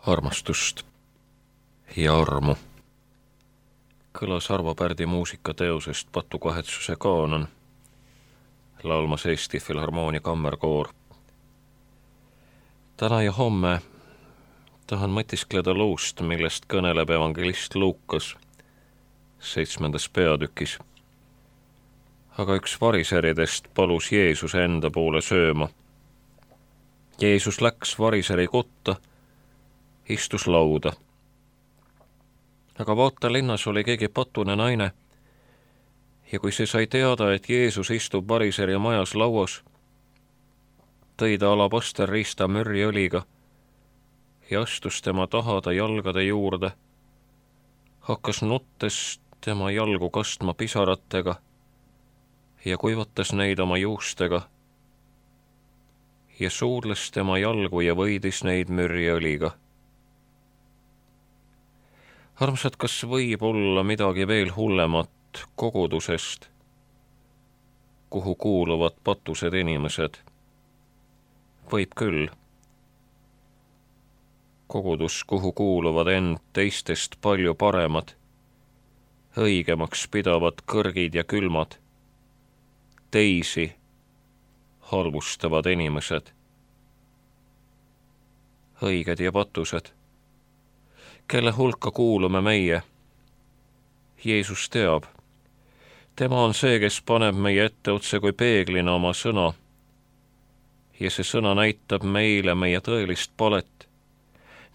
armastust ja armu. Kõlas Arvo Pärdi muusikateosest Patukahetsuse kaanon, laulmas Eesti Filharmoonia kammerkoor. Täna ja homme tahan mõtiskleda luust, millest kõneleb evangelist Luukas 7. peatükis. Aga üks variseridest palus Jeesuse enda poole sööma. Jeesus läks variseri kotta, istus lauda. Aga vaata, linnas oli keegi patune naine, ja kui see sai teada, et Jeesus istub variseri majas lauas, tõi ta alabasterriista mürriõliga ja astus tema tahada jalgade juurde, hakkas nuttes tema jalgu kastma pisaratega ja kuivatas neid oma juustega ja suudles tema jalgu ja võidis neid mürriõliga. Armsad, kas võib olla midagi veel hullemat kogudusest, kuhu kuuluvad patused inimesed? Võib küll. Kogudus, kuhu kuuluvad end teistest palju paremad, õigemaks pidavad kõrgid ja külmad, teisi halvustavad inimesed, õiged ja patused. Kelle hulka kuulume meie? Jeesus teab. Tema on see, kes paneb meie ette otse kui peeglina oma sõna. Ja see sõna näitab meile meie tõelist palet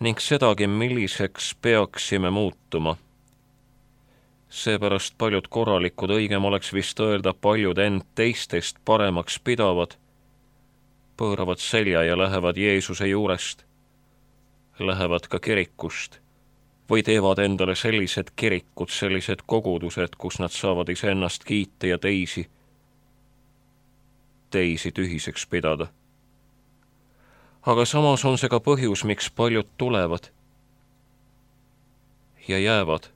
ning sedagi, milliseks peaksime muutuma. Seepärast paljud korralikud, õigem oleks vist öelda, paljud end teistest paremaks pidavad, pööravad selja ja lähevad Jeesuse juurest, lähevad ka kirikust või teevad endale sellised kirikud, sellised kogudused, kus nad saavad iseennast kiita ja teisi tühiseks pidada. Aga samas on see ka põhjus, miks paljud tulevad ja jäävad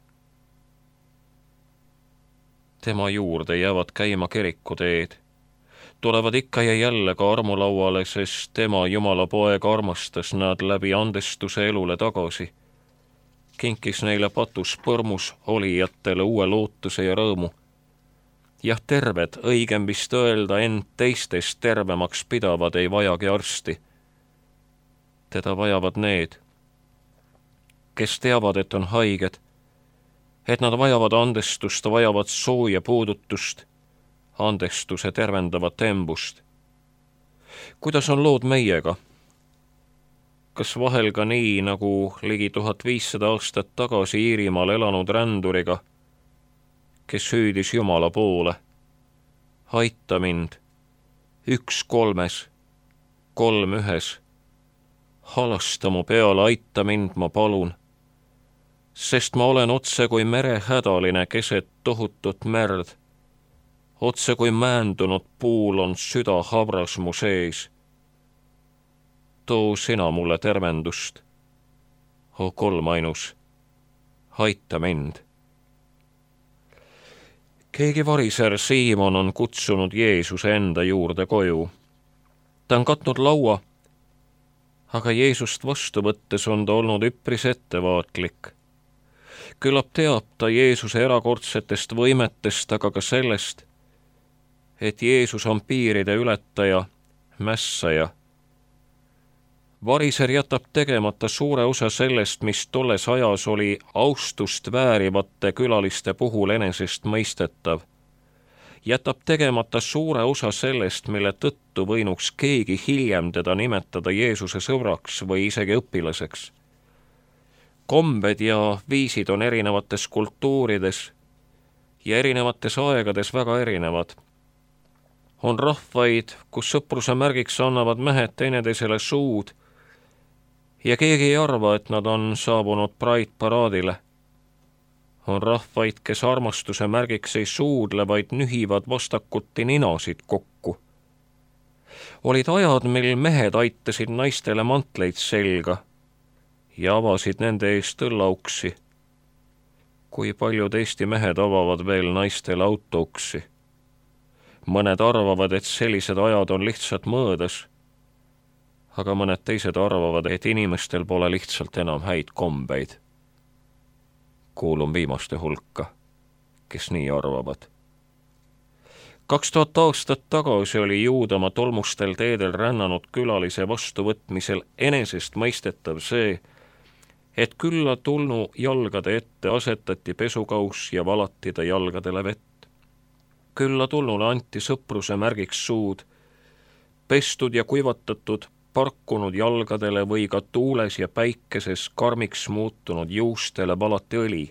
tema juurde, jäävad käima kirikuteed, tulevad ikka ja jälle ka armulauale, sest tema, Jumala poeg, armastas nad läbi andestuse elule tagasi, kinkis neile patus põrmus olijatele uue lootuse ja rõõmu. Jah, terved, õigem vist öelda, end teistest tervemaks pidavad ei vajagi arsti. Teda vajavad need, kes teavad, et on haiged, et nad vajavad andestust, vajavad sooja puudutust, andestuse tervendavat embust. Kuidas on lood meiega? Kas vahel ka nii, nagu ligi 1500 aastat tagasi Iirimaal elanud ränduriga, kes hüüdis Jumala poole? Aita mind, 1 3, 3 1. Halasta mu peale, aita mind, ma palun, sest ma olen otse kui merehädaline keset tohutut merd. Otse kui määndunud puul on süda habras mu sees. Too sina mulle tervendust. O kolmainus, aita mind. Keegi variser Siimon on kutsunud Jeesuse enda juurde koju. Ta on katnud laua, aga Jeesust vastu võttes on ta olnud üpris ettevaatlik. Küllap teab ta Jeesuse erakordsetest võimetest, aga ka sellest, et Jeesus on piiride ületaja, mässaja. Variser jätab tegemata suure osa sellest, mis tolles ajas oli austust väärivate külaliste puhul enesest mõistetav. Jätab tegemata suure osa sellest, mille tõttu võinuks keegi hiljem teda nimetada Jeesuse sõbraks või isegi õpilaseks. Kombed ja viisid on erinevates kultuurides ja erinevates aegades väga erinevad. On rahvaid, kus sõpruse märgiks annavad mehed teineteisele suud ja keegi ei arva, et nad on saabunud Pride-paraadile. On rahvaid, kes armastuse märgiks ei suudle, vaid nühivad vastakuti ninasid kokku. Olid ajad, mil mehed aitasid naistele mantleid selga ja avasid nende eest õllauksi. Kui paljud Eesti mehed avavad veel naistele autouksi. Mõned arvavad, et sellised ajad on lihtsalt mõõdas, aga mõned teised arvavad, et inimestel pole lihtsalt enam häid kombeid. Kuulun viimaste hulka, kes nii arvavad. 2000 aastat tagasi oli Juudamaa tolmustel teedel rännanud külalise vastuvõtmisel enesestmõistetav see, et külla tulnu jalgade ette asetati pesukauss ja valati ta jalgadele vett. Külla tulnule anti sõpruse märgiks suud, pestud ja kuivatatud parkunud jalgadele või ka tuules ja päikeses karmiks muutunud juustele valati õli.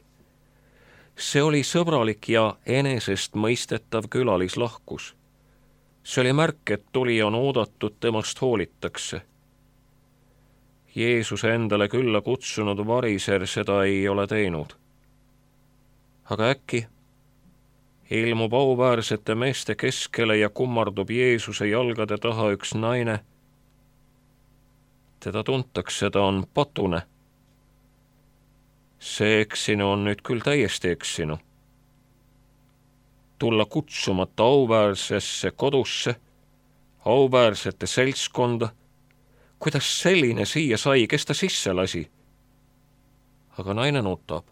See oli sõbralik ja enesestmõistetav külalislahkus. See oli märk, et tulija on oodatud, temast hoolitakse. Jeesuse endale külla kutsunud variser seda ei ole teinud. Aga äkki ilmub auväärsete meeste keskele ja kummardub Jeesuse jalgade taha üks naine. Teda tuntakse, ta on patune. See eksinu on nüüd küll täiesti eksinu. Tulla kutsumata auväärsesse kodusse, auväärsete seltskonda. Kuidas selline siia sai, kes ta sisse lasi? Aga naine nutab.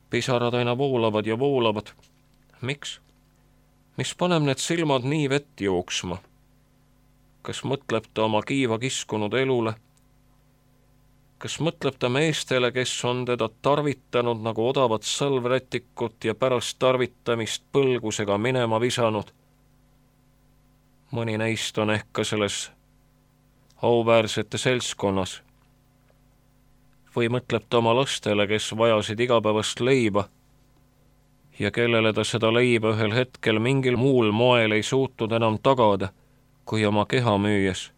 Pisarad aina voolavad ja voolavad. Miks? Mis paneb need silmad nii vett jooksma? Kas mõtleb ta oma kiiva kiskunud elule? Kas mõtleb ta meestele, kes on teda tarvitanud nagu odavat salvrätikut ja pärast tarvitamist põlgusega minema visanud? Mõni neist on ehk ka selles auväärsete seltskonnas. Või mõtleb ta oma lastele, kes vajasid igapäevast leiba ja kellele ta seda leiba ühel hetkel mingil muul moel ei suutnud enam tagada, kui oma keha müües.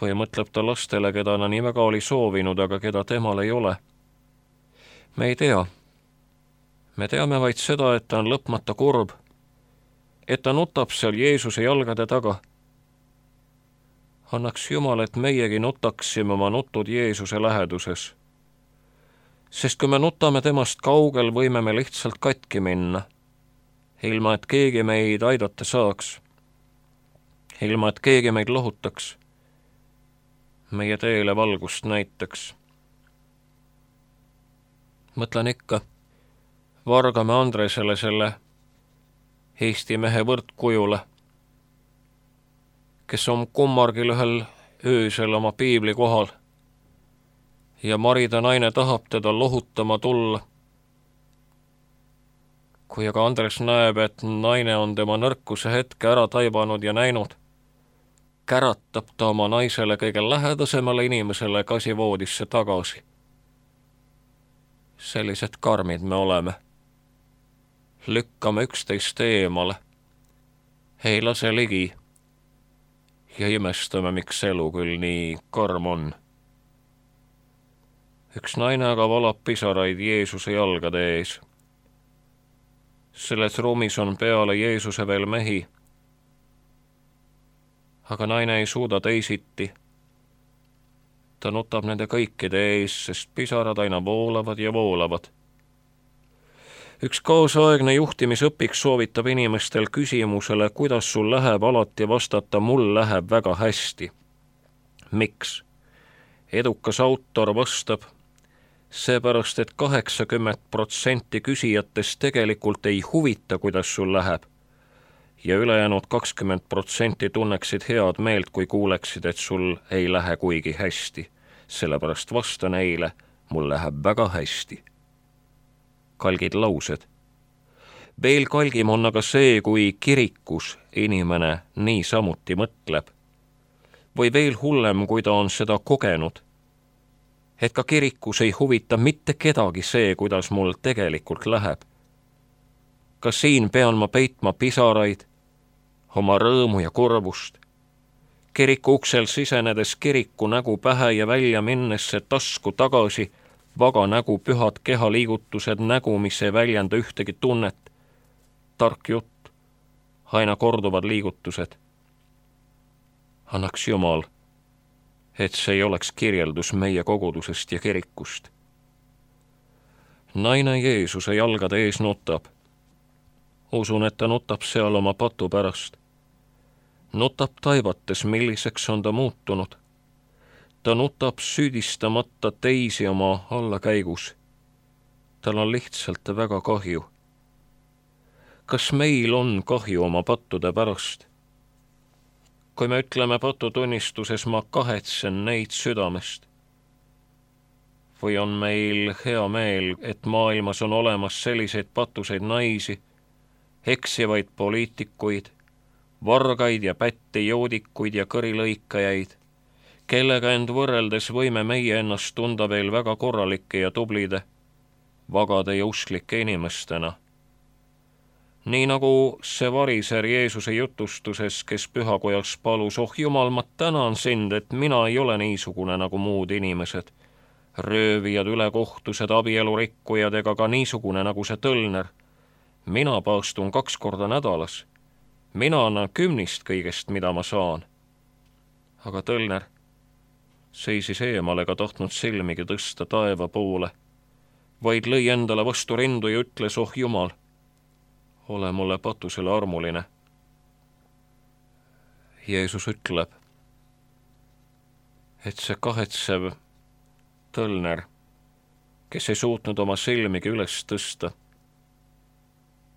Või mõtleb ta lastele, keda ta nii väga oli soovinud, aga keda temal ei ole. Me ei tea. Me teame vaid seda, et ta on lõpmata kurb, et ta nutab seal Jeesuse jalgade taga. Annaks Jumal, et meiegi nutaksime oma nutud Jeesuse läheduses. Sest kui me nutame temast kaugel, võime me lihtsalt katki minna, ilma et keegi meid aidata saaks, ilma et keegi meid lohutaks, meie teele valgust näitaks. Mõtlen ikka Vargamäe Andresele, selle Eesti mehe võrdkujule, kes on kummargil ühel öösel oma piibli kohal ja marida naine tahab teda lohutama tulla. Kui aga Andres näeb, et naine on tema nõrkuse hetke ära taibanud ja näinud, käratab ta oma naisele kõige lähedasemale inimesele kasivoodisse tagasi. Sellised karmid me oleme. Lükkame üksteist eemale, ei lase ligi ja imestame, miks elu küll nii karm on. Üks naine aga valab pisaraid Jeesuse jalgade ees. Selles ruumis on peale Jeesuse veel mehi, aga naine ei suuda teisiti. Ta nutab nende kõikide ees, sest pisarad aina voolavad ja voolavad. Üks kaasaegne juhtimisõpik soovitab inimestel küsimusele, kuidas sul läheb, alati vastata, mul läheb väga hästi. Miks? Edukas autor vastab, seepärast, et 80% küsijatest tegelikult ei huvita, kuidas sul läheb, ja ülejäänud 20% tunneksid head meelt, kui kuuleksid, et sul ei lähe kuigi hästi. Sellepärast vasta neile, mul läheb väga hästi. Kalgid laused. Veel kalgim on aga see, kui kirikus inimene nii samuti mõtleb. Või veel hullem, kui ta on seda kogenud, et ka kirikus ei huvita mitte kedagi see, kuidas mul tegelikult läheb. Ka siin pean ma peitma pisaraid, oma rõõmu ja kurvust. Kiriku uksel sisenedes kiriku nägu pähe ja välja minnes see tasku tagasi, vaga nägu, pühad kehaliigutused, nägu, mis ei väljenda ühtegi tunnet. Tark jutt, aina korduvad liigutused. Annaks Jumal, et see ei oleks kirjeldus meie kogudusest ja kirikust. Naine Jeesuse jalgade ees nutab. Usun, et ta nutab seal oma patu pärast. Nutab taivates, milliseks on ta muutunud. Ta nutab süüdistamata teisi oma allakäigus. Tal on lihtsalt väga kahju. Kas meil on kahju oma pattude pärast? Kui me ütleme patutunnistuses, ma kahetsen neid südamest. Või on meil hea meel, et maailmas on olemas selliseid patuseid naisi, eksivaid poliitikuid, vargaid ja pätti joodikuid ja kõrilõikajaid, kellega end võrreldes võime meie ennast tunda veel väga korralike ja tublide, vagade ja usklike inimestena. Nii nagu see variser Jeesuse jutustuses, kes pühakojas palus, oh Jumal, ma tänan sind, et mina ei ole niisugune nagu muud inimesed, röövijad, ülekohtused, abielurikkujad ega ka niisugune nagu see tõlner. Mina paastun 2 korda nädalas. Mina annan 10 kõigest, mida ma saan. Aga tõlner seisis eemale ega tahtnud silmigi tõsta taeva poole, vaid lõi endale vastu rindu ja ütles, oh Jumal, ole mulle patusele armuline. Jeesus ütleb, et see kahetsev tõlner, kes ei suutnud oma silmigi üles tõsta,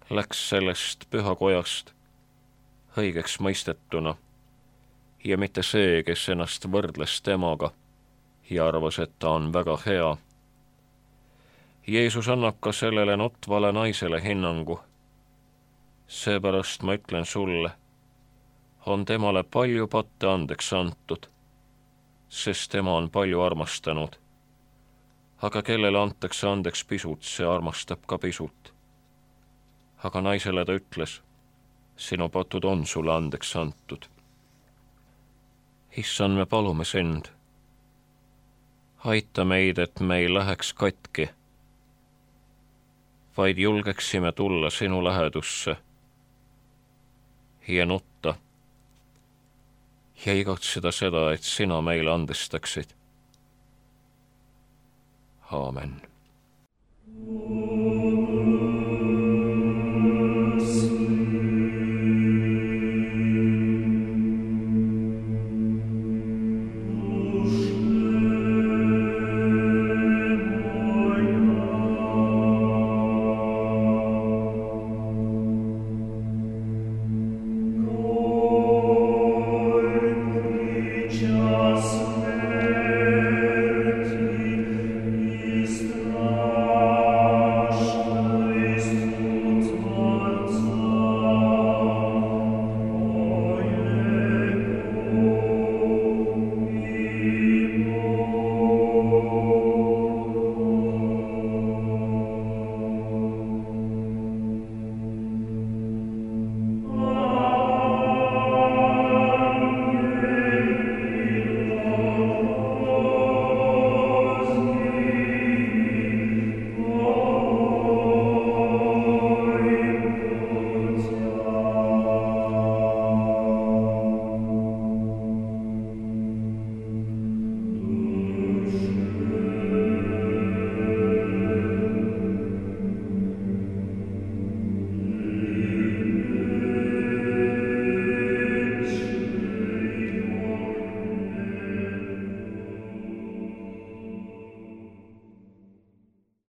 läks sellest pühakojast õigeks mõistetuna ja mitte see, kes ennast võrdles temaga ja arvas, et ta on väga hea. Jeesus annab ka sellele nutvale naisele hinnangu. Seepärast ma ütlen sulle, on temale palju patte andeks antud, sest tema on palju armastanud. Aga kellele antakse andeks pisut, see armastab ka pisut. Aga naisele ta ütles, sinu patud on sulle andeks antud. Issand, me palume sind. Aita meid, et me ei läheks katki, vaid julgeksime tulla sinu lähedusse ja nutta ja igatseda seda, et sina meile andestaksid. Aamen.